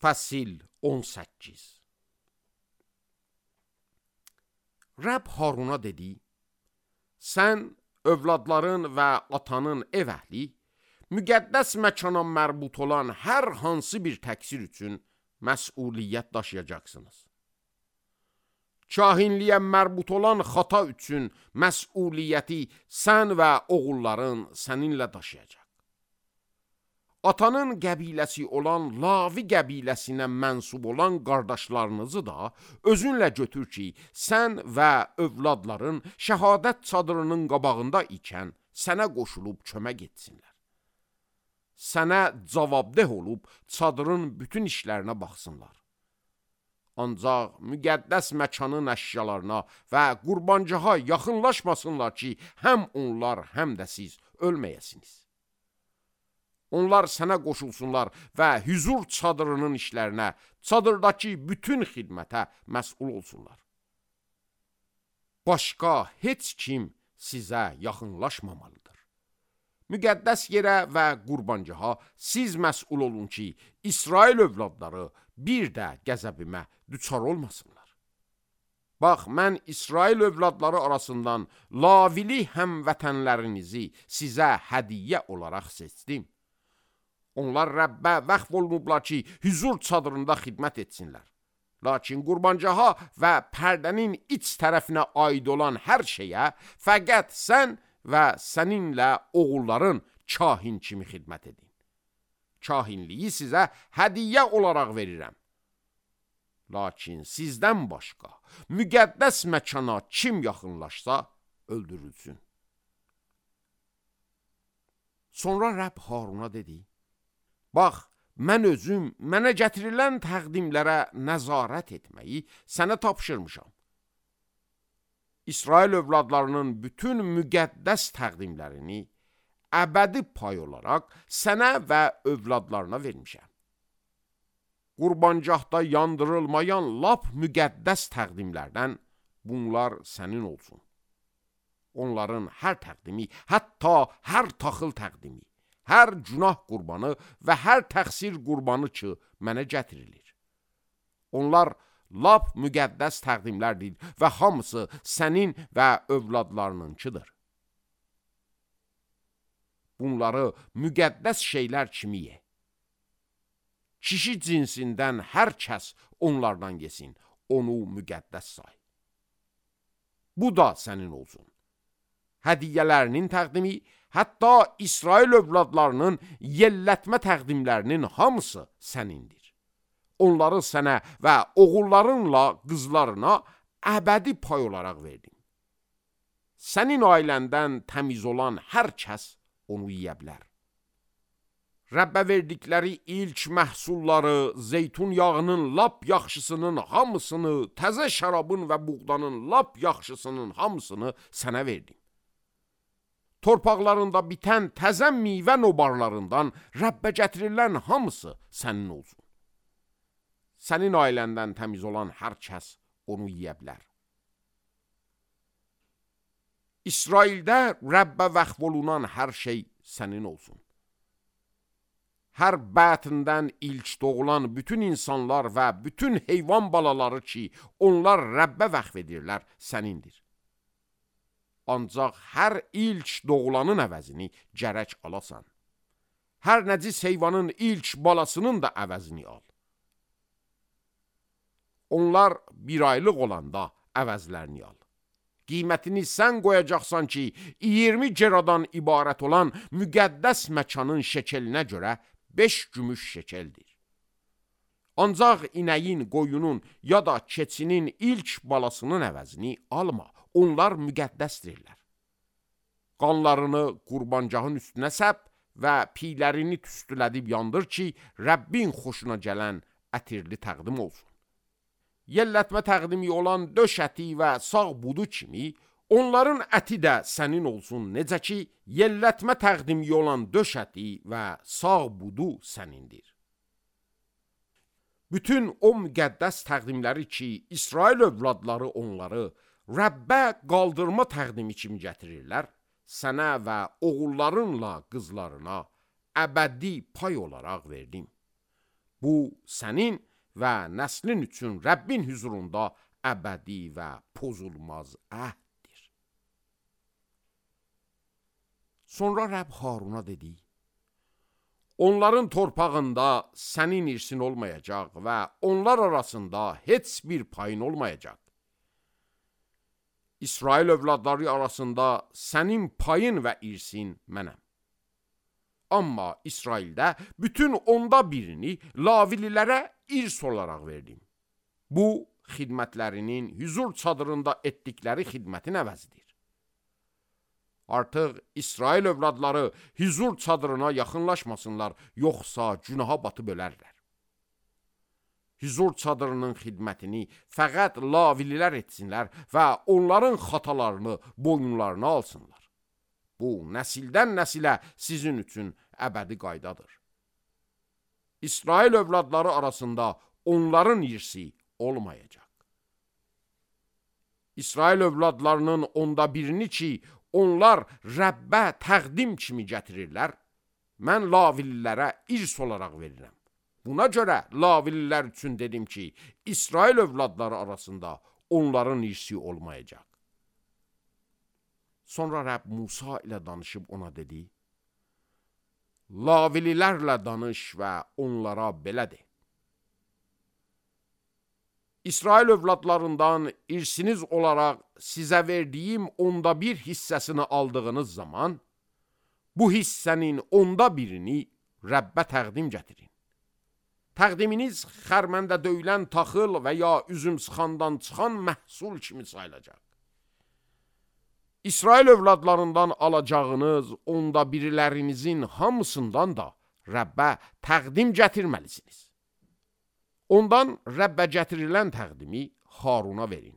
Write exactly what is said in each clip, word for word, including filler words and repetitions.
Fəsil on səkkiz. Rəbb Haruna dedi, sən övladların və atanın ev əhli, müqəddəs məkana mərbut olan hər hansı bir təqsir üçün məsuliyyət daşıyacaqsınız. Kahinliyə mərbut olan xata üçün məsuliyyəti sən və oğulların səninlə daşıyacaq. Atanın qəbiləsi olan Lavi qəbiləsinə mənsub olan qardaşlarınızı da özünlə götür ki, sən və övladların şəhadət çadırının qabağında ikən sənə qoşulub kömək etsinlər. Sənə cavabdeh olub çadırın bütün işlərinə baxsınlar. Ancaq müqəddəs məkanın əşyalarına və qurbancaha yaxınlaşmasınlar ki, həm onlar, həm də siz ölməyəsiniz. Onlar sənə qoşulsunlar və hüzur çadırının işlərinə, çadırdakı bütün xidmətə məsul olsunlar. Başqa heç kim sizə yaxınlaşmamalıdır. Müqəddəs yerə və qurbancaha siz məsul olun ki, İsrail övladları bir də qəzəbimə düçar olmasınlar. Bax, mən İsrail övladları arasından Lavili həmvətənlərinizi sizə hədiyyə olaraq seçdim. Onlar Rəbbə vəqf olunublar ki, hüzur çadırında xidmət etsinlər. Lakin qurbancaha və pərdənin iç tərəfinə aid olan hər şeyə fəqət sən və səninlə oğulların kahin kimi xidmət edin. Kahinliyi sizə hədiyyə olaraq verirəm. Lakin sizdən başqa müqəddəs məkana kim yaxınlaşsa öldürülsün. Sonra Rəbb Haruna dedi, bax, mən özüm mənə gətirilən təqdimlərə nəzarət etməyi sənə tapşırmışam. İsrail övladlarının bütün müqəddəs təqdimlərini əbədi pay olaraq sənə və övladlarına vermişəm. Qurbancahda yandırılmayan lap müqəddəs təqdimlərdən bunlar sənin olsun. Onların hər təqdimi, hətta hər taxıl təqdimi, hər günah qurbanı və hər təqsir qurbanı ki, mənə gətirilir. Onlar lap müqəddəs təqdimlərdir və hamısı sənin və övladlarınınkidir. Bunları müqəddəs şeylər kimi ye. Kişi cinsindən hər kəs onlardan yesin, onu müqəddəs say. Bu da sənin olsun. Hədiyyələrinin təqdimi, hətta İsrail övladlarının yellətmə təqdimlərinin hamısı sənindir. Onları sənə və oğullarınla qızlarına əbədi pay olaraq verdim. Sənin ailəndən təmiz olan hər kəs onu yiyə bilər. Rəbbə verdikləri ilk məhsulları, zeytun yağının lap yaxşısının hamısını, təzə şərabın və buğdanın lap yaxşısının hamısını sənə verdim. Torpaqlarında bitən təzə meyvə nobarlarından Rəbbə gətirilən hamısı sənin olsun. Sənin ailəndən təmiz olan hər kəs onu yiyə bilər. İsraildə Rəbbə vəqf olunan hər şey sənin olsun. Hər bətindən ilk doğulan bütün insanlar və bütün heyvan balaları ki, onlar Rəbbə vəqf edirlər, sənindir. Ancaq hər ilk doğulanın əvəzini gərək alasan. Hər nəcis heyvanın ilk balasının da əvəzini al. Onlar bir aylıq olanda əvəzlərini al. Qiymətini sən qoyacaqsan ki, iyirmi geradan ibarət olan müqəddəs məkanın şekelinə görə beş gümüş şekeldir. Ancaq inəyin, qoyunun ya da keçinin ilk balasının əvəzini alma, onlar müqəddəsdirlər. Qanlarını qurbancağın üstünə səp və piylərini tüstülədib yandır ki, Rəbbin xoşuna gələn ətirli təqdim olsun. Yellətmə təqdimi olan döş əti və sağ budu kimi, onların əti də sənin olsun, necə ki, yellətmə təqdimi olan döş əti və sağ budu sənindir. Bütün o müqəddəs təqdimləri ki, İsrail övladları onları Rəbbə qaldırma təqdimi kimi gətirirlər, sənə və oğullarınla qızlarına əbədi pay olaraq verdim. Bu, sənin və nəslin üçün Rəbbin hüzurunda əbədi və pozulmaz əhddir. Sonra Rəbb Haruna dedi, onların torpağında sənin irsin olmayacaq və onlar arasında heç bir payın olmayacaq. İsrail övladları arasında sənin payın və irsin mənəm. Amma İsraildə bütün onda birini Lavililərə irs olaraq verdim. Bu, xidmətlərinin hüzur çadırında etdikləri xidmətin əvəzidir. Artıq İsrail övladları hüzur çadırına yaxınlaşmasınlar, yoxsa günaha batıb ölərlər. Hüzur çadırının xidmətini fəqət Lavililər etsinlər və onların xatalarını boyunlarına alsınlar. Bu, nəsildən nəsilə sizin üçün əbədi qaydadır. İsrail övladları arasında onların irsi olmayacaq. İsrail övladlarının onda birini ki, onlar Rəbbə təqdim kimi gətirirlər, mən Lavililərə irs olaraq verirəm. Buna görə Lavililər üçün dedim ki, İsrail övladları arasında onların irsi olmayacaq. Sonra Rəbb Musa ilə danışıb ona dedi, Lavililərlə danış və onlara belə de. İsrail övladlarından irsiniz olaraq sizə verdiyim onda bir hissəsini aldığınız zaman, bu hissənin onda birini Rəbbə təqdim gətirin. Təqdiminiz xərməndə döyülən taxıl və ya üzüm sıxandan çıxan məhsul kimi sayılacaq. İsrail övladlarından alacağınız onda birilərinizin hamısından da Rəbbə təqdim gətirməlisiniz. Ondan Rəbbə gətirilən təqdimi Haruna verin.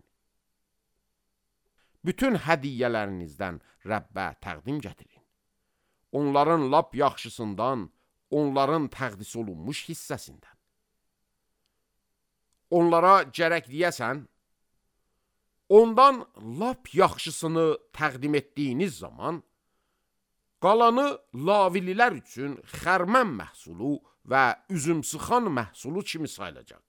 Bütün hədiyyələrinizdən Rəbbə təqdim gətirin. Onların lap yaxşısından, onların təqdis olunmuş hissəsindən. Onlara gərək deyəsən, ondan lap yaxşısını təqdim etdiyiniz zaman, qalanı Lavililər üçün xərmən məhsulu və üzüm sıxan məhsulu kimi sayılacaq.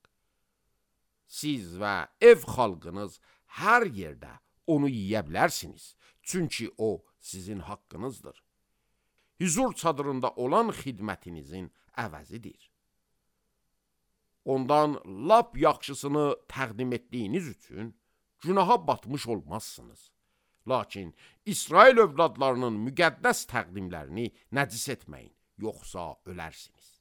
Siz və ev xalqınız hər yerdə onu yiyə bilərsiniz, çünki o sizin haqqınızdır. Hüzur çadırında olan xidmətinizin əvəzidir. Ondan lap yaxşısını təqdim etdiyiniz üçün günaha batmış olmazsınız. Lakin İsrail övladlarının müqəddəs təqdimlərini nəcis etməyin, yoxsa ölərsiniz.